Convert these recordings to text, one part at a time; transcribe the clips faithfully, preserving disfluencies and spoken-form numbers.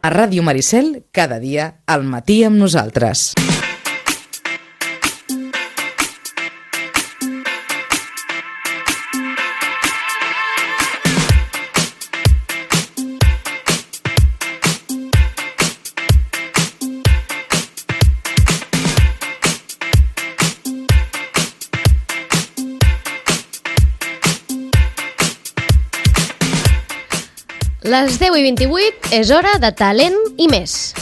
A Ràdio Maricel, cada dia, al matí amb nosaltres. Les deu i vint-i-vuit és hora de talent i més.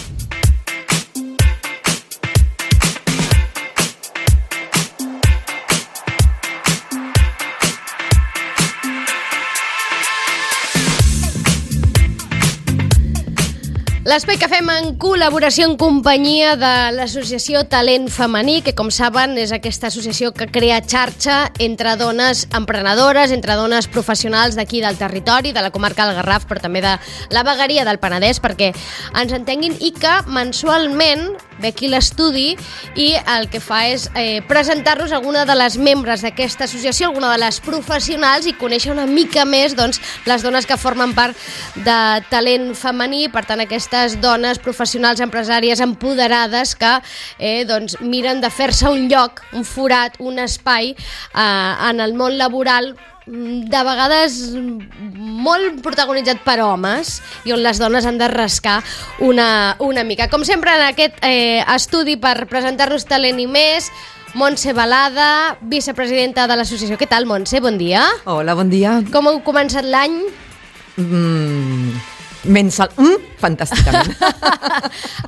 L'espai que fem en col·laboració en companyia de l'associació Talent Femení, que com saben és aquesta associació que crea xarxa entre dones emprenedores, entre dones professionals d'aquí del territori, de la comarca del Garraf, però també de la vegueria del Penedès, perquè ens entenguin, i que mensualment ve aquí l'estudi i el que fa és eh, presentar-nos alguna de les membres d'aquesta associació, alguna de les professionals, i conèixer una mica més doncs, les dones que formen part de Talent Femení. Per tant, aquestes dones professionals, empresàries empoderades que eh, doncs, miren de fer-se un lloc, un forat, un espai eh, en el món laboral, de vegades molt protagonitzat per homes, i on les dones han de rascar una, una mica. Com sempre, en aquest eh, estudi per presentar-nos Talent i més, Montse Balada, vicepresidenta de l'associació. Què tal, Montse? Bon dia. Hola, bon dia. Com heu començat l'any? Mm, Mensal... Mm, fantàsticament.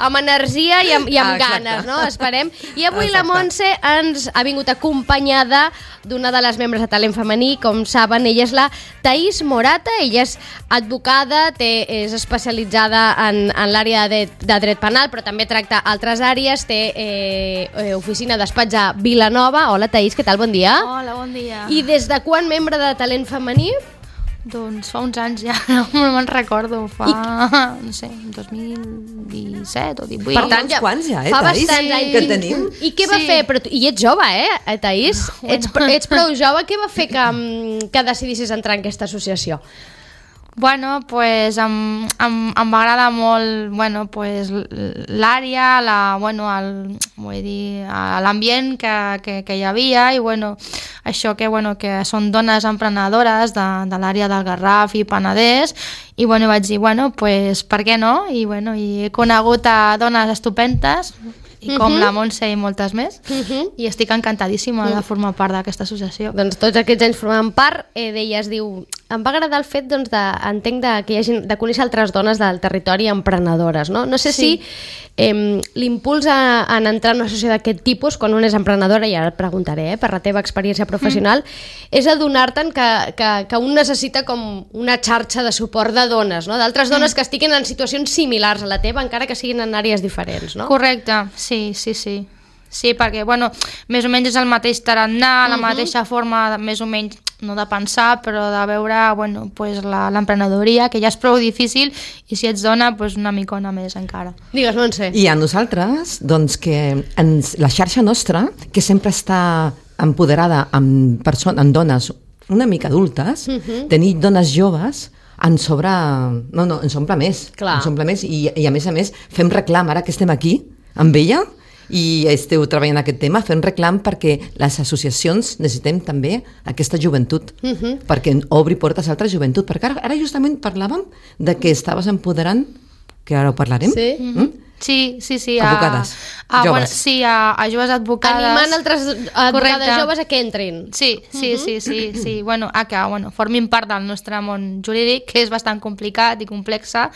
Amb energia i amb, i amb ah, ganes, no? Esperem. I avui exacte. La Montse ens ha vingut acompanyada d'una de les membres de Talent Femení. Com saben, ella és la Thaís Morata. Ella és advocada, té, és especialitzada en, en l'àrea de, de dret penal, però també tracta altres àrees. Té eh, oficina despatx a Vilanova. Hola, Thaís, què tal? Bon dia. Hola, bon dia. I des de quan membre de Talent Femení? Doncs fa uns anys ja, no me'n recordo, fa, I... no sé, dos mil disset o divuit. Per tant, ja, quants ja, eh, fa Thaís, bastants anys que tenim? I què va sí. fer? Però tu, I ets jove, eh, Thaís? Bueno. Ets, ets prou jove. Què va fer que, que decidissis entrar en aquesta associació? Bueno, pues em, em, em va agradar molt, bueno, pues l'àrea, la, bueno, el, vull dir, l'ambient que, que, que hi havia, i bueno, això que, bueno, que són dones emprenedores de, de l'àrea del Garraf i Penedès, i bueno, vaig dir, bueno, pues per què no? I bueno, i he conegut a dones estupendes, i com uh -huh. la Montse i moltes més, uh -huh. i estic encantadíssima uh -huh. de formar part d'aquesta associació. Doncs tots aquests anys formant part eh, d'ella. Es diu, em va agradar el fet, doncs, de, entenc, de, que hi hagi, de conèixer altres dones del territori emprenedores, no? No sé sí. si eh, l'impuls a, en entrar en una associació d'aquest tipus, quan una és emprenedora, i ara et preguntaré, eh, per la teva experiència professional, mm. és adonar-te'n que, que, que un necessita com una xarxa de suport de dones, no? D'altres dones mm. que estiguin en situacions similars a la teva, encara que siguin en àrees diferents, no? Correcte, sí, sí, sí. Sí, perquè, bueno, més o menys és el mateix tarannà, la uh -huh. mateixa forma, més o menys, no de pensar, però de veure, bueno, pues l'emprenedoria, que ja és prou difícil, i si ets dona, pues una micona més encara. Digues, Montse. I a nosaltres, doncs, que ens, la xarxa nostra, que sempre està empoderada amb, persones, amb dones una mica adultes, uh -huh. tenir dones joves, ens sobra... No, no, ens omple més. Clar. Ens omple més, i, i a més a més, fem reclam, ara que estem aquí, amb ella, i esteu treballant aquest tema, fent reclam perquè les associacions necessitem també aquesta joventut, uh -huh. perquè obri portes a altra joventut, perquè ara, ara justament parlàvem de que estaves empoderant, que ara ho parlarem. Sí. Mm? Sí, sí, sí. Advocades, a, a, joves. Bueno, sí, a, a joves advocades. Animant altres advocades Correcte. joves a que entrin. Sí, sí, sí, sí, sí. Bueno, a que bueno, formin part del nostre món jurídic, que és bastant complicat i complexa,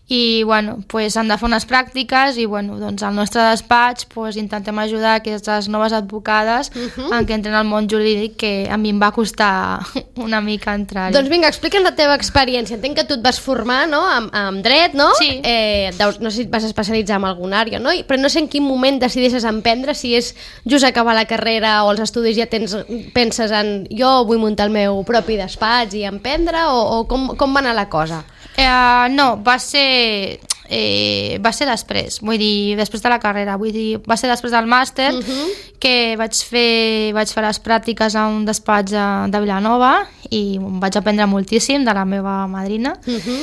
i bueno, pues, han de fer unes pràctiques, i bueno, doncs al nostre despatx pues, intentem ajudar aquestes noves advocades uh-huh. en que entren al món jurídic, que a mi em va costar una mica entrar-hi. Doncs vinga, explica'ns la teva experiència. Entenc que tu et vas formar, no?, amb, amb dret, no? Sí. Eh, deus, no sé si et vas especialitzar en alguna àrea, no? Però no sé en quin moment decideixes emprendre, si és just acabar la carrera o els estudis ja tens, penses en jo vull muntar el meu propi despatx i emprendre, o, o com, com va anar la cosa? Eh, no, va ser... Eh, va ser després, vull dir, després de la carrera, vull dir, va ser després del màster uh-huh. que vaig fer, vaig fer les pràctiques a un despatx de Vilanova, i em vaig aprendre moltíssim de la meva madrina, uh-huh.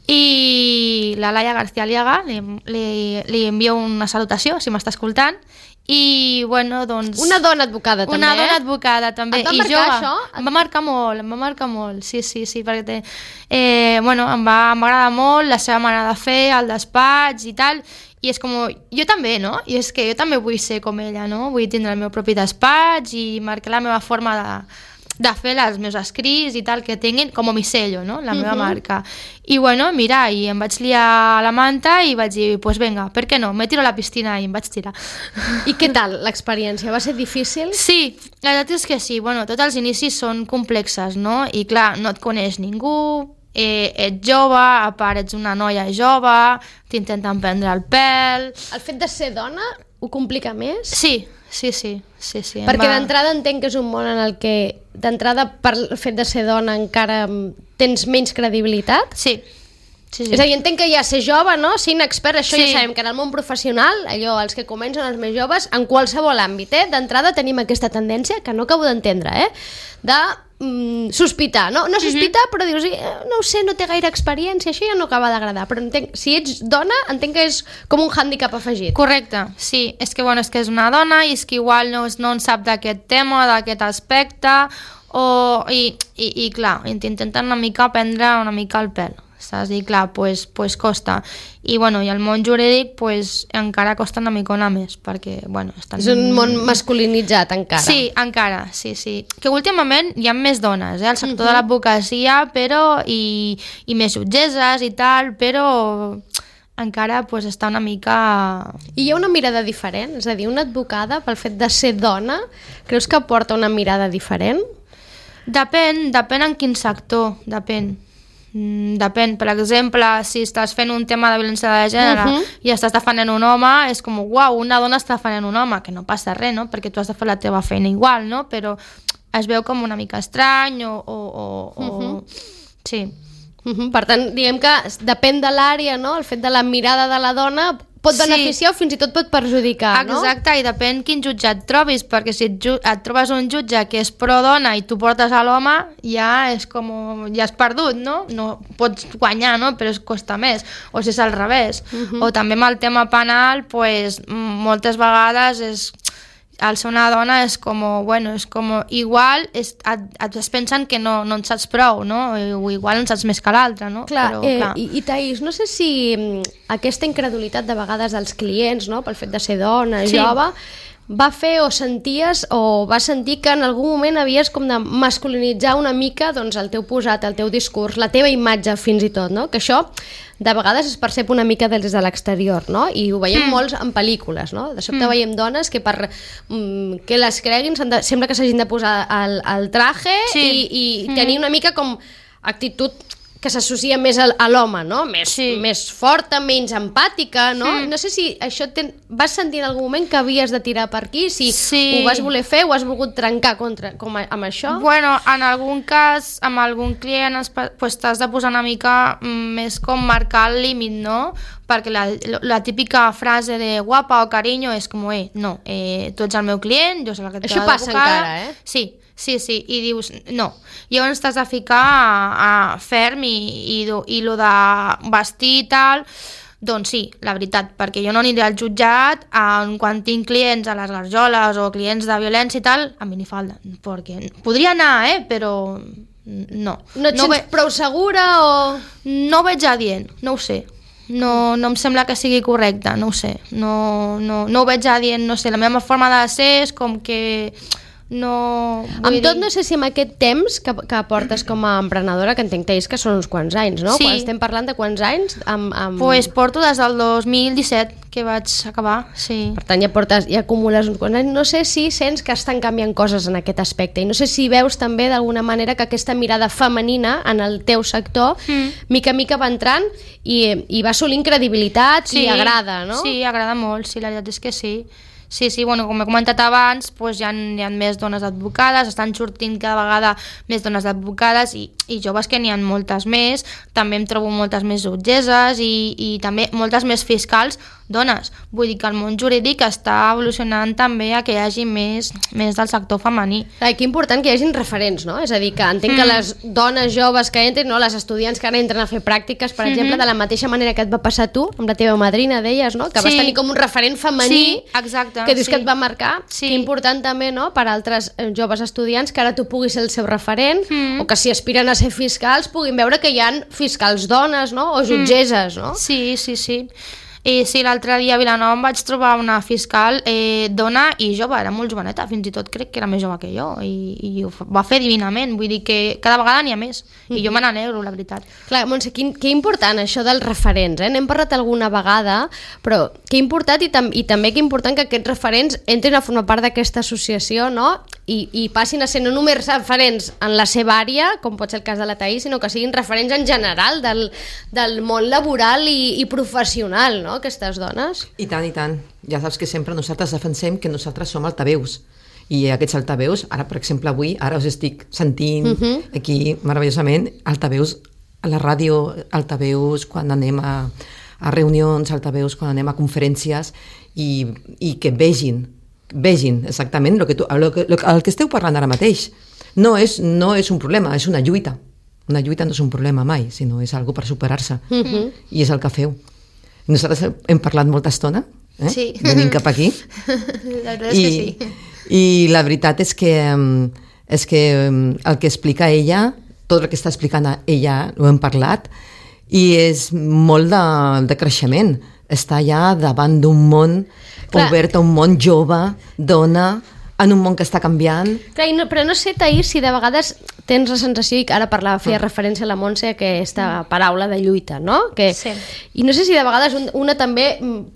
I la Laia García Aliaga, li, li, li envio una salutació, si m'està escoltant, i, bueno, doncs... Una dona advocada, també, Una eh? dona advocada, també. Et va I marcar, jove. això? Em va marcar molt, em va marcar molt, sí, sí, sí, perquè té, eh, bueno, em va m'agrada molt la seva manera de fer, el despatx i tal, i és com, jo també, no? I és que jo també vull ser com ella, no? Vull tindre el meu propi despatx i marcar la meva forma de, de fer els meus escrits i tal, que tinguin com a mi sello, no? La meva uh-huh. marca. I bueno, mira, i em vaig liar la manta i vaig dir, pues venga, per què no? Me tiro a la piscina i em vaig tirar. I què tal l'experiència? Va ser difícil? Sí, la veritat és que sí. Bueno, tots els inicis són complexes, no? I clar, no et coneix ningú, eh, ets jove, a part ets una noia jove, t'intenten prendre el pèl... El fet de ser dona ho complica més? Sí, sí, sí. sí, sí Perquè va... d'entrada entenc que és un món en el que d'entrada per el fet de ser dona encara tens menys credibilitat? Sí. Sí, sí. És a dir, entenc que ja ser jove, no? Ser inexpert, això sí. ja sabem que en el món professional, allò, els que comencen els més joves, en qualsevol àmbit, eh? D'entrada tenim aquesta tendència, que no acabo d'entendre, eh? De mm, sospitar, no? No sospitar, mm-hmm. però dius, eh, no ho sé, no té gaire experiència, això ja no acaba d'agradar, però entenc, si ets dona, entenc que és com un hàndicap afegit. Correcte, sí, és que, bueno, és que és una dona i és que igual no, no en sap d'aquest tema, d'aquest aspecte, o, i, i, i clar, intenten una mica prendre una mica el pèl. Saps? I clar, pues, pues costa. I, bueno, i el món jurídic pues, encara costa una micona més, perquè, bueno... Estan... És un món masculinitzat, encara. Sí, encara, sí, sí. Que últimament hi ha més dones, eh, al sector uh-huh. de l'advocacia, però... I, i més jutgesses i tal, però... encara pues, està una mica... I hi ha una mirada diferent? És a dir, una advocada, pel fet de ser dona, creus que porta una mirada diferent? Depèn, depèn en quin sector, depèn. Mm, depèn, per exemple, si estàs fent un tema de violència de gènere uh-huh. i estàs defendent un home, és com, uau, una dona està defendent un home, que no passa res, no? Perquè tu has de fer la teva feina igual, no? Però es veu com una mica estrany o... o, o, uh-huh. o... Sí. Uh-huh. Per tant, diguem que depèn de l'àrea, no? El fet de la mirada de la dona pot beneficiar sí. o fins i tot pot perjudicar, no? Exacte, i depèn quin jutge et trobis, perquè si et, ju- et trobes un jutge que és pro-dona i tu portes a l'home, ja és com... ja has perdut, no? No pots guanyar, no? Però es costa més. O si és al revés. Uh-huh. O també amb el tema penal, pues, moltes vegades és... el ser una dona és com, bueno, és com igual és, et, et es pensen que no, no en saps prou, no? O igual en saps més que l'altre, no? Clar, Però, eh, clar. I, i Thaís, no sé si aquesta incredulitat de vegades dels clients, no? Pel fet de ser dona, sí. jove, va fer o senties o vas sentir que en algun moment havies com de masculinitzar una mica doncs, el teu posat, el teu discurs, la teva imatge fins i tot, no? Que això de vegades es percep una mica des de l'exterior, no? I ho veiem mm. molts en pel·lícules, no? De sobte mm. veiem dones que per mm, que les creguin de, sembla que s'hagin de posar el, el traje sí. i, i mm. tenir una mica com actitud que s'associa més a, a l'home, no? Més, sí. més forta, menys empàtica, no? Mm. No sé si això ten... vas sentir en algun moment que havies de tirar per aquí, si sí. ho vas voler fer o has volgut trencar contra, com a, amb això? Bueno, en algun cas, amb algun client pues, t'has de posar una mica més com marcar el límit, no? Perquè la, la típica frase de guapa o carinyo és com, eh, no, eh, tu ets el meu client, jo soc la que t'ha d'abocar. Això passa encara, eh? Sí. Sí, sí, i dius, no. Llavors t'has de ficar a, a ferm i, i, i lo de vestir i tal, doncs sí, la veritat, perquè jo no aniré al jutjat en, quan tinc clients a les garjoles o clients de violència i tal, a minifalda, perquè podria anar, eh, però no. No et no sents ve... prou segura o...? No ho veig adient, no ho sé. No, no em sembla que sigui correcte, no ho sé. No, no, no ho veig adient, no sé, la meva forma de ser és com que... No, amb tot, dir... no sé si amb aquest temps que, que portes com a emprenedora, que entenc que són uns quants anys, no? Sí. Quan estem parlant de quants anys? Amb, amb... Pues porto des del dos mil disset que vaig acabar, sí. Per tant, ja portes, ja acumules uns quants anys. No sé si sents que estan canviant coses en aquest aspecte i no sé si veus també d'alguna manera que aquesta mirada femenina en el teu sector mm. mica a mica va entrant i, i va assolint credibilitat sí. i agrada, no? Sí, agrada molt, sí, la veritat és que sí. Sí, sí, bueno, com he comentat abans, doncs hi ha, hi ha més dones advocades, estan sortint cada vegada més dones advocades i, i joves que n'hi ha moltes més, també em trobo moltes més jutgesses i, i també moltes més fiscals dones. Vull dir que el món jurídic està evolucionant també a que hi hagi més, més del sector femení. Clar, que important que hi hagin referents, no? És a dir, que entenc mm. que les dones joves que entren, no? Les estudiants que ara entren a fer pràctiques, per mm-hmm. exemple, de la mateixa manera que et va passar tu, amb la teva madrina, deies, no? Que sí. vas tenir com un referent femení sí, exacte, que dius sí. que et va marcar. Sí. Que important també, no?, per altres joves estudiants que ara tu puguis ser el seu referent mm. o que si aspiren a ser fiscals puguin veure que hi ha fiscals dones, no?, o jutgesses, no? Sí, sí, sí. I sí, l'altre dia a Vilanova em vaig trobar una fiscal eh, dona i jove, era molt joveneta, fins i tot crec que era més jove que jo, i, i ho va fer divinament, vull dir que cada vegada n'hi ha més, i jo me n'alegro, la veritat. Clar, Montse, que, que important això dels referents, eh? N'hem parlat alguna vegada, però que important i, tam i també que important que aquests referents entrin a formar part d'aquesta associació, no?, I, i passin a ser no només referents en la seva àrea, com pot ser el cas de la Taís, sinó que siguin referents en general del, del món laboral i, i professional, no?, aquestes dones. I tant, i tant. Ja saps que sempre nosaltres defensem que nosaltres som altaveus. I aquests altaveus, ara per exemple avui, ara us estic sentint uh-huh. aquí meravellosament, altaveus a la ràdio, altaveus quan anem a, a reunions, altaveus quan anem a conferències i, i que vegin vegin exactament el que, tu, el que, el que esteu parlant ara mateix. No és, no és un problema, és una lluita. Una lluita no és un problema mai, sinó és algo per superar-se. Uh-huh. I és el que feu. Nosaltres hem parlat molta estona, eh? Sí. Venim cap aquí. La veritat I, és que sí. I la veritat és que, és que el que explica ella, tot el que està explicant ella, ho hem parlat, i és molt de, de creixement. Està ja davant d'un món Clar. obert a un món jove, dona, en un món que està canviant. Clar, no, però no sé, Taís, si de vegades tens la sensació, i que ara parlava, feia referència a la Montse, a aquesta paraula de lluita, no? Que, sí. I no sé si de vegades un, una també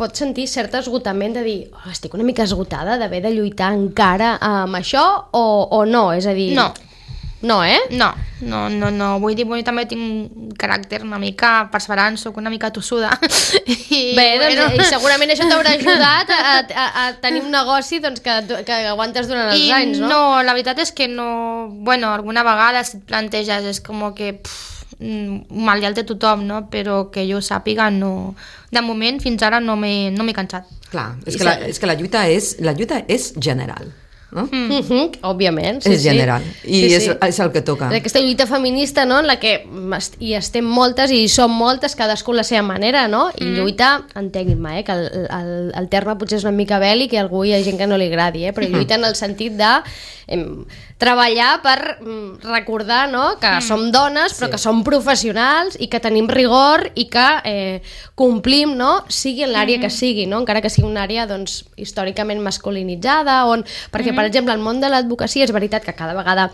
pot sentir cert esgotament de dir, oh, estic una mica esgotada d'haver de lluitar encara amb això, o, o no, és a dir... No. No, eh? No, no, no, no. Vull dir, vull, també tinc un caràcter una mica perseverant, soc una mica tossuda. I, Bé, doncs, bueno. i segurament això t'haurà ajudat a, a, a tenir un negoci doncs, que, que aguantes durant els I anys, no? No, la veritat és que no... Bueno, alguna vegada si et planteges és com que... Pff, mal ja el té tothom, no? Però que jo sàpiga, no... De moment, fins ara no m'he no m'he cansat. Clar, és que, la, és que la lluita és, la lluita és general. No? Mm. Mm-hmm, òbviament, sí, és general sí. i sí, és, sí. és el que toca. Aquesta lluita feminista, no?, en la que hi estem moltes i som moltes, cadascú la seva manera, no? I mm. lluita, entenguin-me, eh, que el, el, el terme potser és una mica bèl·lic i a algú hi ha gent que no li agradi, eh, però mm. lluita en el sentit de em, treballar per em, recordar, no?, que mm. som dones però sí. que som professionals i que tenim rigor i que eh, complim, no?, sigui en l'àrea mm. que sigui, no?, encara que sigui una àrea doncs, històricament masculinitzada, on, perquè mm. per exemple, el món de l'advocacia és veritat que cada vegada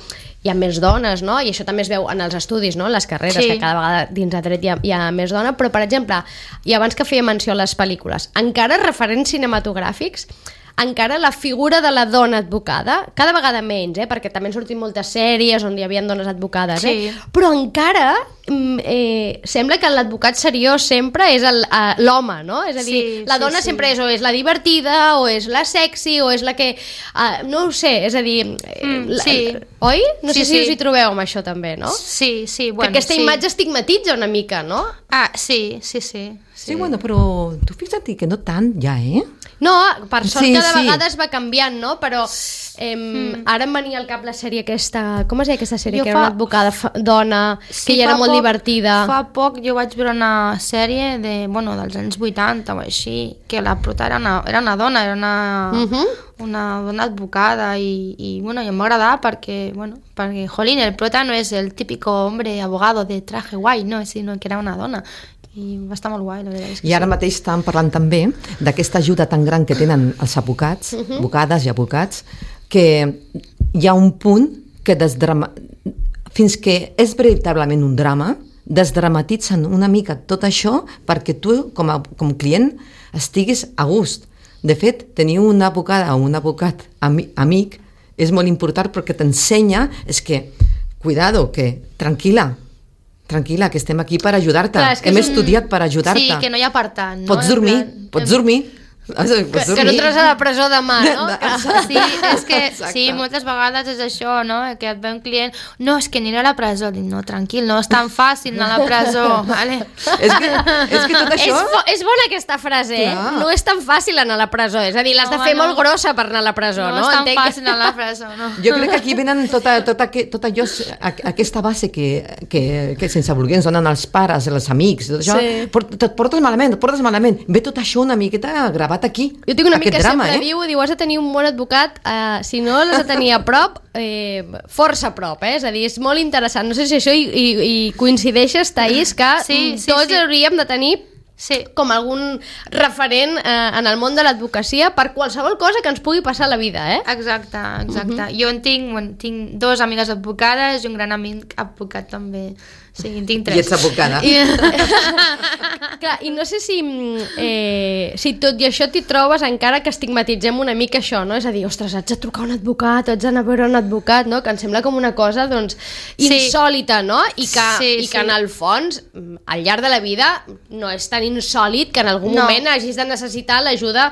hi ha més dones, no? I això també es veu en els estudis, no? En les carreres, sí. que cada vegada dins de dret hi ha, hi ha més dona, però, per exemple, i abans que feia menció a les pel·lícules, encara referents cinematogràfics, encara la figura de la dona advocada, cada vegada menys, eh? Perquè també han sortit moltes sèries on hi havia dones advocades, sí. eh? Però encara eh, sembla que l'advocat seriós sempre és l'home, no? És a dir, sí, la dona sí, sempre sí. és o és la divertida, o és la sexy, o és la que... Uh, no ho sé, és a dir... Mm, la, sí. Oi? No sí, sé si sí. us hi trobeu amb això també, no? Sí, sí, bueno, que aquesta sí. imatge estigmatitza una mica, no? Ah, sí, sí, sí. Sí, sí bueno, però tu fixa't que no tant ja, eh? No, per sort sí, cada sí. vegada es va canviant, no? Però eh, mm. ara em venia al cap la sèrie aquesta... Com es deia aquesta sèrie? Jo que fa... era una advocada fa... dona, sí, que ja era molt poc, divertida. Fa poc jo vaig veure una sèrie de, bueno, dels anys vuitanta o així, que la prota era una, era una dona, era una, uh-huh. una dona advocada i, i, bueno, i em va agradar perquè, bueno, perquè, jolín, el prota no és el típico hombre abogado de traje guai, no, sinó que era una dona. I va estar molt guai, la veritat és que I ara sí. mateix estàvem parlant també d'aquesta ajuda tan gran que tenen els advocats, uh-huh. advocades i advocats, que hi ha un punt que desdrama... fins que és veritablement un drama, desdramatitzen una mica tot això perquè tu, com a com client, estiguis a gust. De fet, tenir una advocada o un advocat ami, amic és molt important perquè t'ensenya, és que, cuidado, que tranquil·la, tranquil·la, que estem aquí per ajudar-te. Clar, hem un... estudiat per ajudar-te. Sí, que no hi ha apartat. No? Pots dormir, plan... pots dormir. Que, que no entres a la presó demà, no? Sí, és que sí, moltes vegades és això, no? Que et ve un client, no, és que aniré a la presó. Dic, no, tranquil, no és tan fàcil anar a la presó, vale? És que, és que tot això... És, és bona aquesta frase, eh? No és tan fàcil anar a la presó, és a dir, l'has de fer molt grossa per anar a la presó, no? No és tan Entenc... fàcil anar a la presó, no? Jo crec que aquí venen tota, tota, tot allò, aquesta base que, que, que sense voler ens donen els pares, els amics, tot això, sí. Et portes malament, et portes malament. Ve tot això una miqueta gravat aquí. Jo tinc un amic que drama, sempre eh? diu, diu, has de tenir un bon advocat, eh, si no l'has de tenir a prop, eh, força a prop, eh? És a dir, és molt interessant. No sé si això hi, hi, hi coincideixes, Thaís, que sí, sí, tots sí. hauríem de tenir sí. com algun referent eh, en el món de l'advocacia per qualsevol cosa que ens pugui passar a la vida, eh? Exacte, exacte. Uh-huh. Jo en tinc, bueno, tinc dos amigues advocades i un gran amic advocat també. Sí, en tinc tres. I ets advocada. I, clar, i no sé si, eh, si tot i això t'hi trobes encara que estigmatitzem una mica això, no? És a dir, ostres, haig de trucar a un advocat, haig d'anar a veure un advocat, no? Que em sembla com una cosa, doncs, insòlita, no? I que, sí, i que sí. en el fons, al llarg de la vida, no és tan insòlit que en algun no. moment hagis de necessitar l'ajuda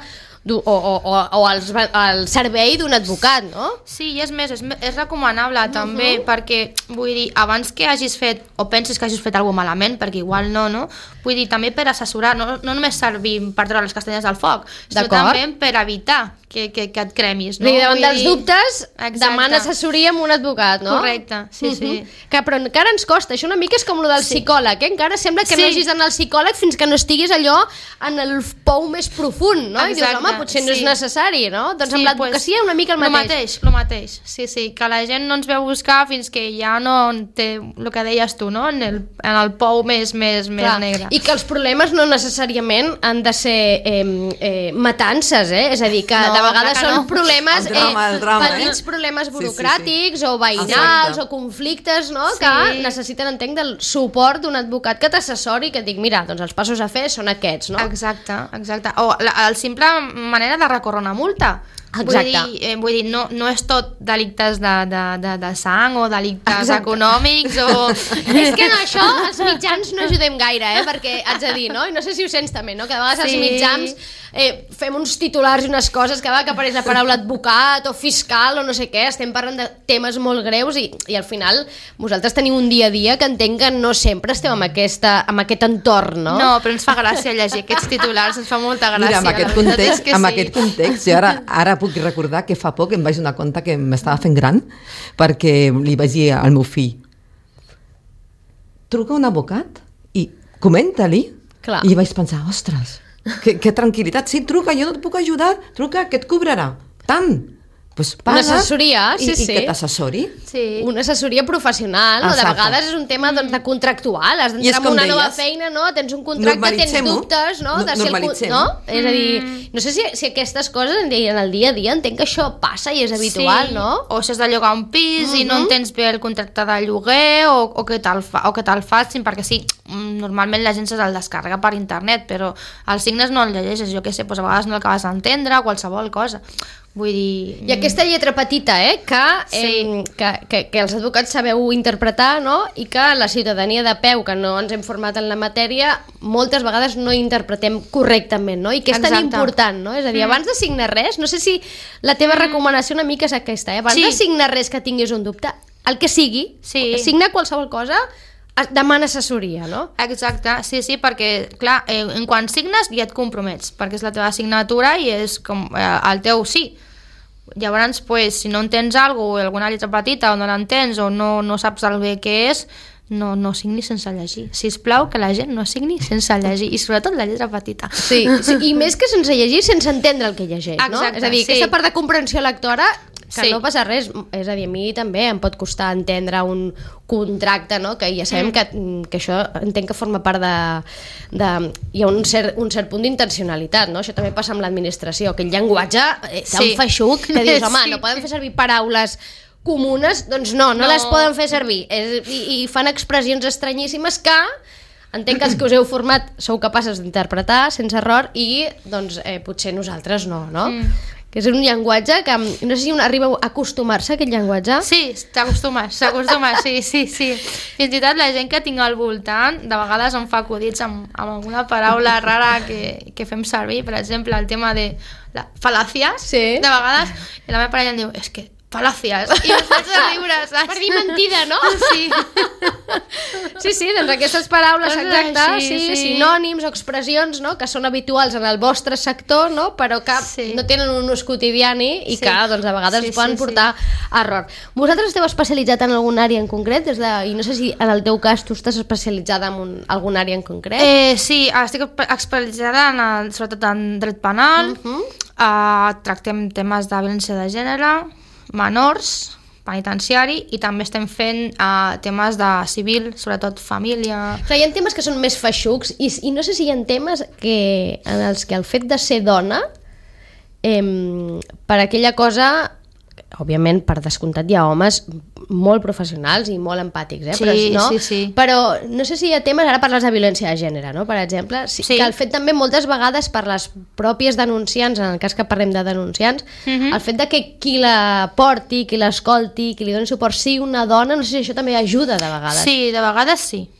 o, o, o, o el, el servei d'un advocat, no? Sí, i és més, és, és recomanable també, uh-huh. perquè, vull dir, abans que hagis fet, o pensis que hagis fet alguna cosa malament, perquè igual no, no? Vull dir, també per assessorar, no, no només servir per treure les castanyes del foc, sinó també per evitar que, que, que et cremis, no? I davant dels dubtes, demana assessoria amb un advocat, no? Correcte, sí, uh-huh. sí. Que, però encara ens costa, això una mica és com el del sí. psicòleg, eh? Encara sembla que sí. no hagis d'anar al psicòleg fins que no estiguis allò en el pou més profund, no? Exacte, i dius, home, potser no sí. és necessari, no? Doncs sí, amb l'advocacia pues, una mica el mateix. Lo mateix, lo mateix, sí, sí, que la gent no ens veu buscar fins que ja no té el que deies tu, no? En el, en el pou més, més, més negre. I que els problemes no necessàriament han de ser eh, eh, matances, eh? És a dir, que no, de vegades són no. problemes, el drama, el drama, eh, petits eh? problemes burocràtics sí, sí, sí. o veïnals Exacte. o conflictes, no? Sí. Que necessiten, entenc, del suport d'un advocat que t'assessori i que et dic, mira, doncs els passos a fer són aquests, no? Exacte, exacte. O la, el simple manera de recórrer una multa. Exacte. Vull dir, eh, vull dir no, no és tot delictes de, de, de, de sang o delictes Exacte. econòmics o... És que en això els mitjans no ajudem gaire, eh? Perquè haig de dir, no? I no sé si ho sents també, no? Que de vegades sí. els mitjans eh, fem uns titulars i unes coses que, que apareix la paraula advocat o fiscal o no sé què, estem parlant de temes molt greus i, i al final vosaltres teniu un dia a dia que entenc que no sempre esteu amb, aquesta, amb aquest entorn, no? No, però ens fa gràcia llegir aquests titulars, ens fa molta gràcia. Mira, amb aquest context, amb sí. aquest context jo ara, ara puc recordar que fa poc em vaig donar compte que m'estava fent gran perquè li vaig dir al meu fill, truca un advocat i comenta-li. Clar. I vaig pensar, ostres, que, que tranquil·litat, sí, truca, jo no et puc ajudar, truca, que et cobrarà tant. Pues paga, una assessoria, sí, i, sí. I que t'assessori. Sí. Una assessoria professional, no? De vegades és un tema doncs, de contractual, has d'entrar en una deies, nova feina, no? Tens un contracte, tens dubtes, no? De si el, no? És a dir, no sé si, si aquestes coses en el dia a dia entenc que això passa i és habitual, sí. no? O si has de llogar un pis uh-huh. i no entens bé el contracte de lloguer o, o que te'l fa, o que te'l facin, perquè sí, normalment la gent se'l descarrega per internet, però els signes no el llegeixes, jo què sé, doncs a vegades no l'acabes d'entendre, qualsevol cosa. Vull dir... I aquesta lletra petita, eh, que, sí. eh, que, que, que els advocats sabeu interpretar, no? I que la ciutadania de peu, que no ens hem format en la matèria, moltes vegades no interpretem correctament, no? I que és Exacte. tan important, no? És a dir, mm. abans de signar res, no sé si la teva mm. recomanació una mica és aquesta, eh? Abans sí. de signar res que tinguis un dubte, el que sigui, sí. signa qualsevol cosa, demana assessoria, no? Exacte, sí, sí, perquè, clar, eh, en quan signes ja et compromets, perquè és la teva signatura i és com eh, el teu sí. Llavors, pues, si no entens alguna cosa, alguna lletra petita o no l'entens o no, no saps el bé què és, no, no signi sense llegir. Sisplau, que la gent no signi sense llegir, i sobretot la lletra petita. Sí, sí, i més que sense llegir, sense entendre el que llegeix, no? Exacte, és a dir, sí. aquesta part de comprensió lectora, que sí. no passa res, és a dir, a mi també em pot costar entendre un contracte, no? Que ja sabem mm. que, que això entenc que forma part de... de hi ha un cert, un cert punt d'intencionalitat, no? Això també passa amb l'administració, que el llenguatge eh, tan sí. feixuc que dius, home, sí. no podem fer servir paraules comunes, doncs no, no, no. les poden fer servir. És, i, I fan expressions estranyíssimes que entenc que els que us heu format sou capaces d'interpretar sense error i doncs eh, potser nosaltres no, no? Mm. que és un llenguatge que no sé si un arriba a acostumar-se a aquest llenguatge. Sí, t'acostumes, s'acostuma, sí, sí, sí. Fins i tot la gent que tinc al voltant, de vegades em fa acudits amb, amb alguna paraula rara que, que fem servir, per exemple, el tema de la fal·làcies, sí. De vegades, i la meva parella em diu, és que fal·làcies, i em faig a riure, saps? Per dir mentida, no? Sí. Sí, sí, doncs aquestes paraules, Coses exacte, així, sí, sí. sinònims o expressions, no?, que són habituals en el vostre sector, no?, però que Sí. no tenen un ús quotidiani i Sí. que, doncs, de vegades Sí, sí, poden sí, portar a error. Vosaltres esteu especialitzat en algun àrea en concret? Des de, I no sé si en el teu cas tu estàs especialitzada en un, algun àrea en concret? Eh, sí, estic especialitzada en el, sobretot en dret penal, uh -huh. uh, tractem temes de violència de gènere, menors, penitenciari, i també estem fent uh, temes de civil, sobretot família... Clar, hi ha temes que són més feixucs i, i no sé si hi ha temes que, en els que el fet de ser dona eh, per aquella cosa, òbviament per descomptat hi ha homes molt professionals i molt empàtics, eh? Sí, però, no? sí, sí. Però no sé si hi ha temes, ara parles de violència de gènere, no? Per exemple, sí, Sí. que el fet també moltes vegades per les pròpies denunciants, en el cas que parlem de denunciants, Mhm. el fet de que qui la porti, qui l'escolti, qui li doni suport sigui una dona, no sé si això també ajuda de vegades. Sí, de vegades sí.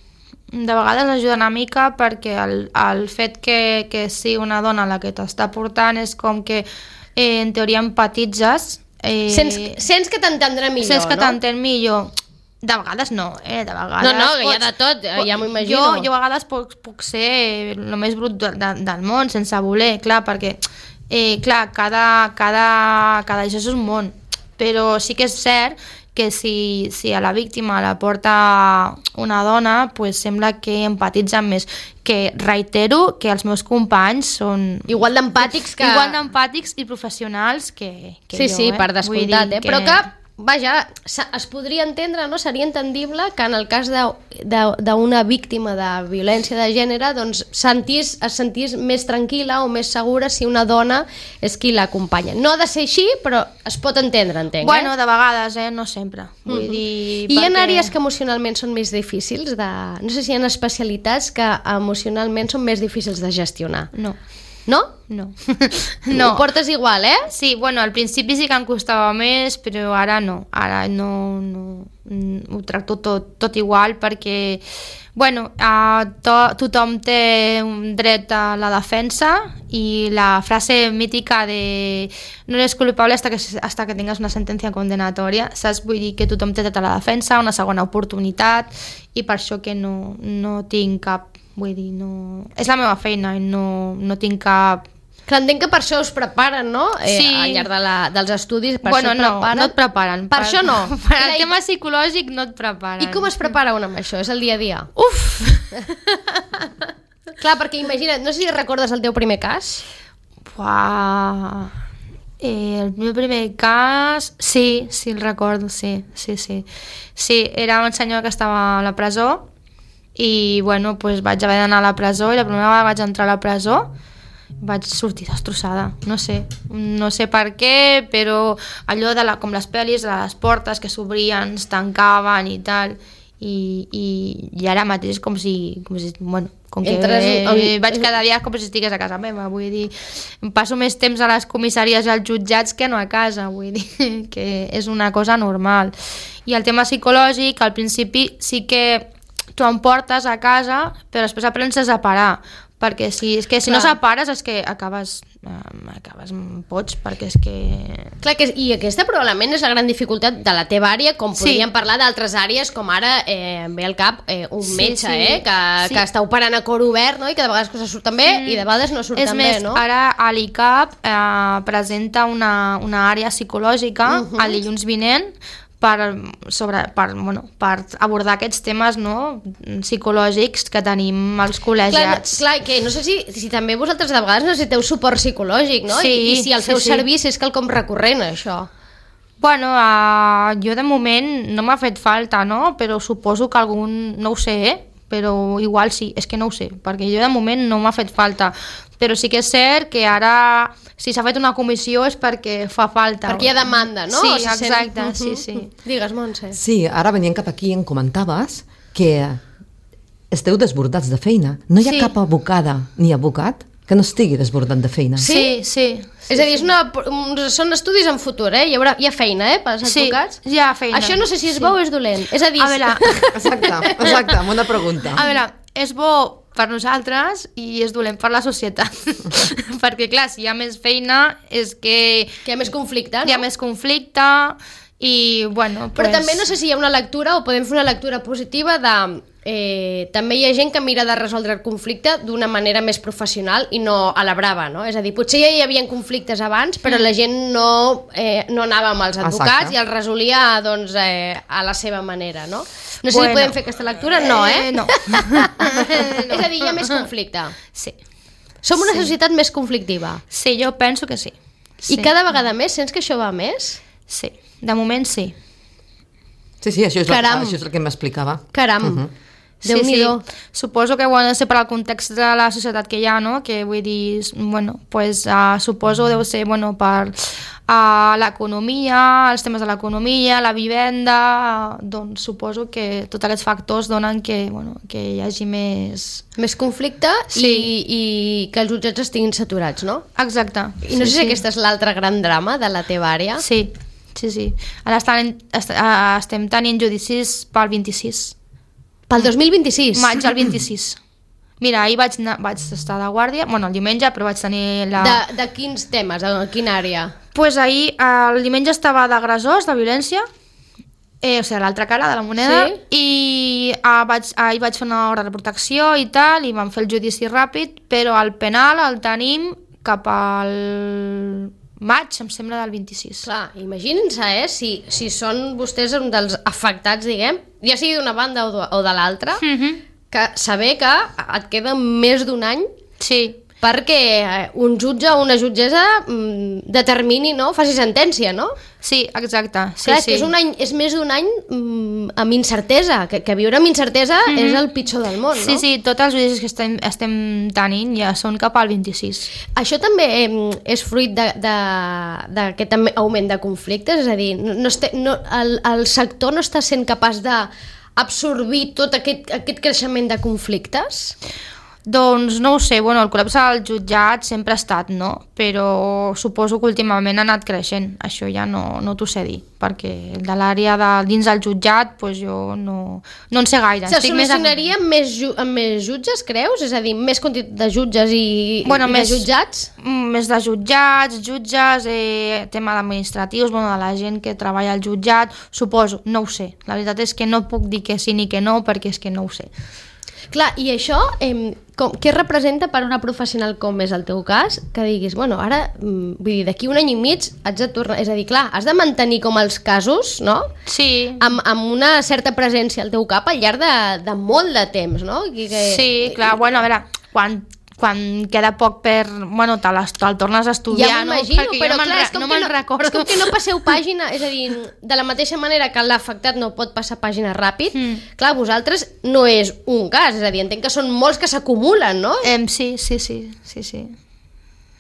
De vegades ajuda una mica perquè el, el fet que, que sigui una dona la que t'està portant és com que eh, en teoria empatitzes. Eh, Sents, sents que t'entendrà millor, sents que no? t'entén millor. De vegades no, eh? De vegades No, no, que hi ha pots- de tot, po- ja m'ho imagino. Jo, jo a vegades puc, puc ser el més brut de, de, del món, sense voler, clar, perquè, eh, clar, cada, cada, cada això és un món. Però sí que és cert que si, si a la víctima la porta una dona, pues sembla que empatitza més. Que reitero que els meus companys són Igual d'empàtics que... igual d'empàtics i professionals que, que Sí, jo, sí, eh? per descomptat, Vull dir eh? Però que, vaja, se- es podria entendre, no? Seria entendible que en el cas de- de- d'una víctima de violència de gènere doncs sentís, es sentís més tranquil·la o més segura si una dona és qui l'acompanya. No ha de ser així, però es pot entendre, entenc, Bueno, eh? de vegades, eh? No sempre. Vull dir... I hi ha perquè- àrees que emocionalment són més difícils de... No sé si hi ha especialitats que emocionalment són més difícils de gestionar. No, No? no. No. Ho portes igual, eh? Sí, bueno, al principi sí que em costava més, però ara no. Ara no, no mm, ho tracto tot, tot igual perquè, bueno, uh, to, tothom té un dret a la defensa i la frase mítica de no eres culpable hasta que, hasta que tengas una sentència condenatòria, saps? Vull dir que tothom té dret a la defensa, una segona oportunitat, i per això que no, no tinc cap... Vull dir, no... És la meva feina i no, no tinc cap... Clar, entenc que per això us preparen, no? Eh, Sí. Al llarg de la, dels estudis, per bueno, això no, preparen. no et preparen. Per això no. Per al I- tema psicològic no et preparen. I com es prepara un amb això? És el dia a dia? Uf! Clar, perquè imagina't, no sé si recordes el teu primer cas. Buah. Eh, el meu primer cas... Sí, sí, el recordo, sí, sí, sí. Sí, era un senyor que estava a la presó i, bueno, pues vaig haver d'anar a la presó i la primera vegada vaig entrar a la presó vaig sortir destrossada, no sé, no sé per què, però allò de la, com les pel·lis, de les portes que s'obrien, es tancaven i tal, i, i, i ara mateix com si, com si bueno, com que Entres eh, en- vaig cada dia com si estigués a casa meva, vull dir, em passo més temps a les comissaries i als jutjats que no a casa, vull dir, que és una cosa normal. I el tema psicològic, al principi sí que tu em portes a casa, però després aprens a separar, perquè si, és que si no Clar. separes és que acabes, eh, acabes pots, perquè és que... Clar, que, i aquesta probablement és la gran dificultat de la teva àrea, com Sí. podríem parlar d'altres àrees, com ara eh, em ve al cap eh, un Sí, metge, sí. eh, que, Sí. que està operant a cor obert, no? I que de vegades coses surten bé Mm. i de vegades no surten És més, bé, no? ara a l'I C A P eh, presenta una, una àrea psicològica Mhm. el dilluns vinent per, sobre, per, bueno, per abordar aquests temes, no, psicològics que tenim als Clar, col·legiats. clar, que no sé si, si també vosaltres de vegades necessiteu suport psicològic, no? Sí, I, I si el sí, feu sí. servir si és quelcom recurrent, això. Bueno, uh, jo de moment no m'ha fet falta, no? Però suposo que algun... No ho sé, eh? Però igual sí, és que no ho sé, perquè jo de moment no m'ha fet falta. Però sí que és cert que ara, si s'ha fet una comissió és perquè fa falta. Perquè hi ha demanda, no? Sí, O se sent- exacte, Mhm. sí, sí. Digues, Montse. Sí, ara venint cap aquí em comentaves que esteu desbordats de feina. No hi ha Sí. cap abocada ni abocat que no estigui desbordat de feina. Sí, sí. sí és a dir, és sí. una, són estudis en futur, eh? Hi, haurà, hi ha feina, eh, pels Sí, advocats. hi ha feina. Això no sé si és Sí. bo o és dolent. És a dir, A veure, Exacte, exacte, bona pregunta. a veure, és bo per nosaltres i és dolent per la societat. Perquè, clar, si hi ha més feina és que que hi ha més conflicte, no? hi ha més conflicte i, bueno, Però pues... també no sé si hi ha una lectura o podem fer una lectura positiva de... Eh, també hi ha gent que mira de resoldre el conflicte d'una manera més professional i no a la brava, no? És a dir, potser ja hi havia conflictes abans, però la gent no, eh, no anava amb els advocats Exacte. i els resolia doncs, eh, a la seva manera, no? No sé Bueno. si podem fer aquesta lectura, no, eh? Eh, no. És a dir, hi ha més conflicte. Sí. Som una societat més conflictiva. Sí, jo penso que sí. sí. I cada vegada més, sents que això va més? Sí, de moment sí. Sí, sí, això és, la, Caram. això és el que m'explicava. Caram, uh -huh. Sí, Déu-n'hi-do. sí. Suposo que bueno, ser per al context de la societat que hi ha, no? Que vull dir, bueno, pues, uh, suposo deu ser bueno, per uh, l'economia, els temes de l'economia, la vivenda, uh, doncs suposo que tots aquests factors donen que, bueno, que hi hagi més... Més conflicte Sí. i, i que els jutjats estiguin saturats, no? Exacte. I no sé sí, si sí. aquest és l'altre gran drama de la teva àrea. Sí, sí, sí. Ara estan, est uh, estem tenint judicis pel vint-i-sis. Pel dos mil vint-i-sis. Maig al vint-i-sis. Mira, ahir vaig, anar, vaig estar de guàrdia, bueno, el diumenge, però vaig tenir la... De, de quins temes? De quina àrea? Pues ahir, el diumenge estava d'agressors, de violència, eh, o sigui, l'altra cara de la moneda, Sí. i ah, vaig, ahir vaig fer una hora de protecció i tal, i vam fer el judici ràpid, però el penal el tenim cap al maig, em sembla, del vint-i-sis. Clar, imaginin-se, eh? Si, si són vostès un dels afectats, diguem, ja sigui d'una banda o de, o de l'altra, Mm -hmm. que saber que et queda més d'un any Sí, perquè eh, un jutge o una jutgessa mm, determini, no? Faci sentència, no? sí, exacte. Sí, Clar, és sí. que és, un any, és més d'un any mm, amb incertesa, que, que viure amb incertesa mm -hmm. és el pitjor del món, Sí, no? sí, tots els judicis que estem, estem tenint ja són cap al vint-i-sis. Això també eh, és fruit d'aquest augment de conflictes, és a dir, no, no este, no, el, el sector no està sent capaç d'absorbir tot aquest, aquest creixement de conflictes? Doncs no ho sé, bueno, el col·lapse al jutjat sempre ha estat, no? Però suposo que últimament ha anat creixent, això ja no, no t'ho sé dir, perquè de l'àrea de dins del jutjat pues jo no, no en sé gaire. Se Estic més a- solucionaria amb més, ju amb més jutges, creus? És a dir, més quantitat de jutges i, Bueno, i més- de jutjats? Mm, Més de jutjats, jutges, eh, tema administratius, bueno, de la gent que treballa al jutjat, suposo, no ho sé. La veritat és que no puc dir que sí ni que no, perquè és que no ho sé. Clar, i això, eh, com, què representa per una professional com és el teu cas, que diguis, bueno, ara, mm, vull dir, d'aquí un any i mig haig de tornar, és a dir, clar, has de mantenir com els casos, no?, Sí, amb, amb una certa presència al teu cap al llarg de, de molt de temps, no? Que, que... sí, clar, bueno, a veure, quan, quan queda poc per... Bueno, te les- te'l tornes a estudiar, Ja no? m'imagino, Perquè però jo me'n clar, re- és com, no que me'n no, recordo. és com que no passeu pàgina, és a dir, de la mateixa manera que l'afectat no pot passar pàgina ràpid, Mm. clar, vosaltres no és un cas, és a dir, entenc que són molts que s'acumulen, no? Em, sí, sí, sí, sí, sí.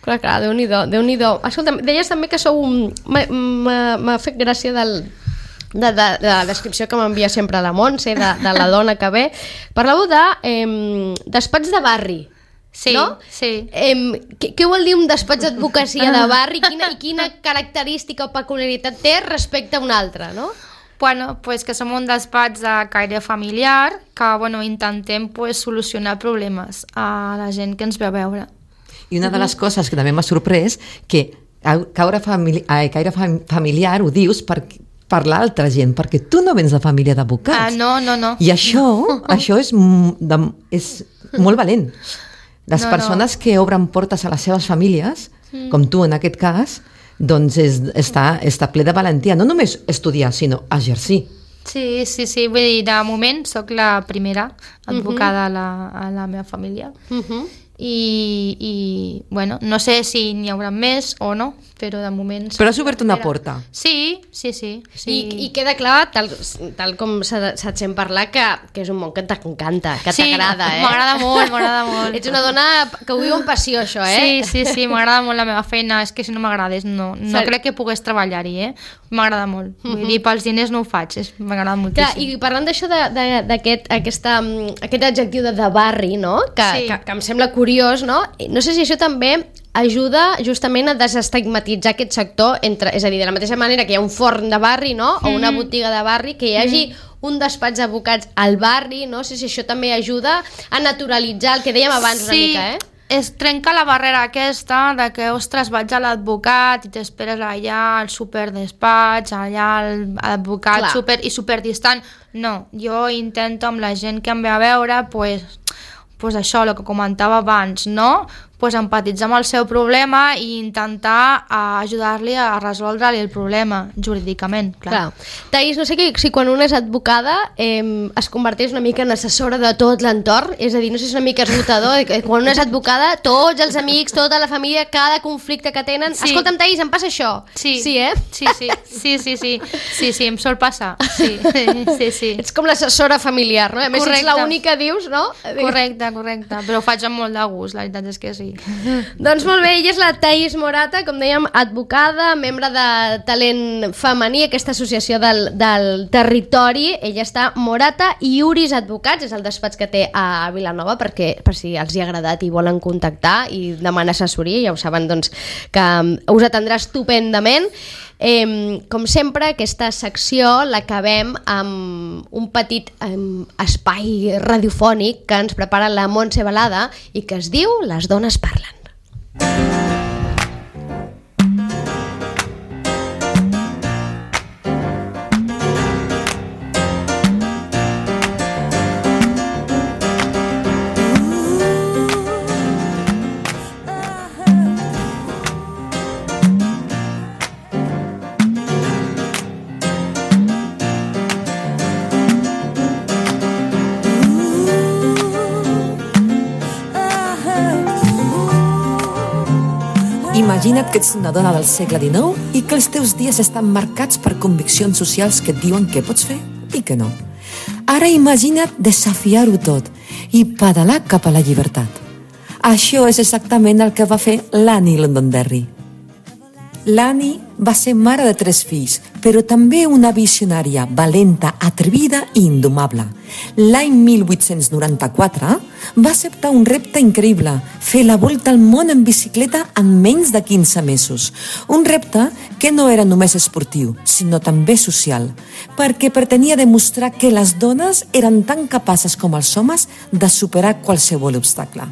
Clar, clar, Déu-n'hi-do, Déu-n'hi-do. Escolta'm, deies també que sou un... m'ha- M'ha m'ha fet gràcia del, de, de, de la descripció que m'envia sempre la Montse, de, de la dona que ve. Parlàveu de eh, despatx de barri, Sí, no? sí. Eh, què, què vol dir un despatx d'advocacia de barri? Quina, I quina característica o peculiaritat té respecte a un altre, no? Bueno, pues que som un despatx de caire familiar que, bueno, intentem pues, solucionar problemes a la gent que ens ve a veure. I una de les coses que també m'ha sorprès, que caure famili ai, caire fam familiar ho dius per, per l'altra gent, perquè tu no vens de família Ah, d'advocats. no, no, no. I això, això és, m- de, és molt valent. Les No, no. persones que obren portes a les seves famílies, com tu en aquest cas, doncs és, està, està ple de valentia. No només estudiar, sinó exercir. Sí, sí, sí, vull dir, de moment sóc la primera advocada a, la, a la meva família. Uh -huh. I, i, bueno, no sé si n'hi haurà més o no, però de moment... Però has obert una porta. Sí, sí, sí. sí. I, I queda clar, tal, tal com s'ha se't sent parlar, que, que és un món que t'encanta, que Sí, t'agrada, eh? m'agrada molt, m'agrada molt. Ets una dona que ho viu amb passió, això, eh? Sí, sí, sí, m'agrada molt la meva feina, és que si no m'agradés no, no Ser- crec que pogués treballar-hi, eh? M'agrada molt. Vull dir, pels diners no ho faig, és- m'agrada moltíssim. Clar, i parlant d'això, de- de- d'aquest aquest, aquesta, mm, aquest adjectiu de, de barri, no? Que, Sí. que, que em sembla curiós, curiós, no? No sé si això també ajuda justament a desestigmatitzar aquest sector, entre, és a dir, de la mateixa manera que hi ha un forn de barri, no? O una botiga de barri, que hi hagi un despatx d'advocats al barri, no sé si això també ajuda a naturalitzar el que dèiem abans una sí. mica, eh? Es trenca la barrera aquesta de que, ostres, vaig a l'advocat i t'esperes allà al superdespatx, allà l'advocat super, i superdistant. No, jo intento amb la gent que em ve a veure, pues, pues això, el que comentava abans, no? Pues empatitzar amb el seu problema i intentar uh, ajudar-li a resoldre-li el problema jurídicament, clar. clar. Thaís, no sé que, si quan una és advocada eh, es converteix una mica en assessora de tot l'entorn, és a dir, no sé si és una mica esgotador, que quan una és advocada, tots els amics, tota la família, cada conflicte que tenen... Sí. Escolta'm, Thaís, em passa això. Sí, sí eh? Sí, sí, sí, sí, sí, sí, sí, em sol passar. Sí, sí, sí. Ets com l'assessora familiar, no? A més, correcte. Ets l'única, dius, no? Correcte, correcte, però ho faig amb molt de gust, la veritat és que sí. Doncs molt bé, ella és la Thaís Morata, com dèiem, advocada, membre de Talent Femení, aquesta associació del, del territori. Ella està Morata i Uris Advocats, és el despatx que té a Vilanova, perquè per si els hi ha agradat i volen contactar i demanar assessoria, ja ho saben, doncs, que us atendrà estupendament. Eh, com sempre, aquesta secció l'acabem amb un petit eh, espai radiofònic que ens prepara la Montse Balada i que es diu Les dones parlen. Imagina't que ets una dona del segle dinou i que els teus dies estan marcats per conviccions socials que et diuen què pots fer i què no. Ara imagina't desafiar-ho tot i pedalar cap a la llibertat. Això és exactament el que va fer l'Annie Londonderry. L'Annie va ser mare de tres fills, però també una visionària, valenta, atrevida i indomable. L'any mil vuit-cents noranta-quatre va acceptar un repte increïble, fer la volta al món en bicicleta en menys de quinze mesos. Un repte que no era només esportiu, sinó també social, perquè pretenia demostrar que les dones eren tan capaces com els homes de superar qualsevol obstacle.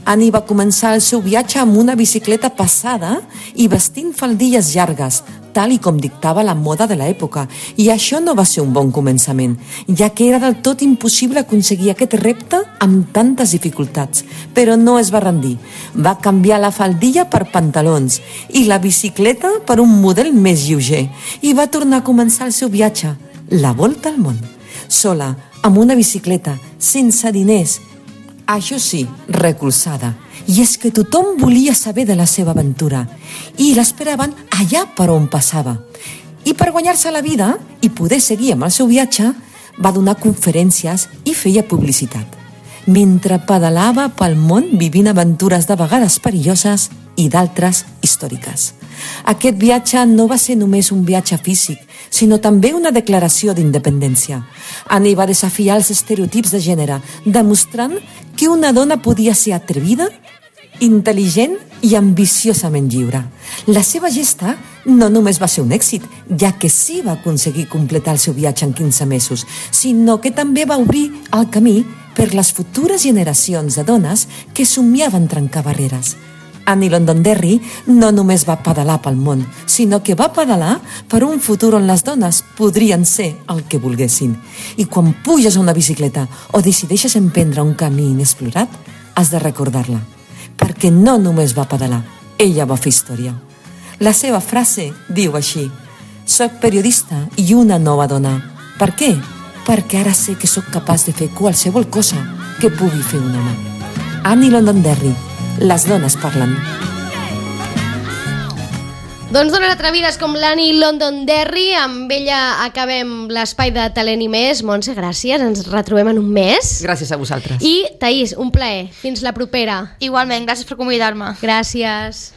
Annie va començar el seu viatge amb una bicicleta passada i vestint faldilles llargues, tal i com dictava la moda de l'època. I això no va ser un bon començament, ja que era del tot impossible aconseguir aquest repte amb tantes dificultats. Però no es va rendir. Va canviar la faldilla per pantalons i la bicicleta per un model més lleuger i va tornar a començar el seu viatge, la volta al món. Sola, amb una bicicleta, sense diners, això sí, recolzada. I és que tothom volia saber de la seva aventura i l'esperaven allà per on passava. I per guanyar-se la vida i poder seguir amb el seu viatge, va donar conferències i feia publicitat. Mentre pedalava pel món vivint aventures de vegades perilloses i d'altres històriques. Aquest viatge no va ser només un viatge físic, sinó també una declaració d'independència. Annie va desafiar els estereotips de gènere, demostrant que una dona podia ser atrevida, intel·ligent i ambiciosament lliure. La seva gesta no només va ser un èxit, ja que sí va aconseguir completar el seu viatge en quinze mesos, sinó que també va obrir el camí per les futures generacions de dones que somiaven trencar barreres. Annie Londonderry no només va pedalar pel món, sinó que va pedalar per un futur on les dones podrien ser el que volguessin. I quan puges a una bicicleta o decideixes emprendre un camí inexplorat, has de recordar-la, perquè no només va pedalar, ella va fer història. La seva frase diu així: «Soc periodista i una nova dona. Per què? Perquè ara sé que sóc capaç de fer qualsevol cosa que pugui fer un home». Annie Londonderry, les dones parlen. Doncs dones atrevides com l'Annie Londonderry, amb ella acabem l'espai de Talent i més. Montse, gràcies, ens retrobem en un mes. Gràcies a vosaltres. I Thaís, un plaer, fins la propera. Igualment, gràcies per convidar-me. Gràcies.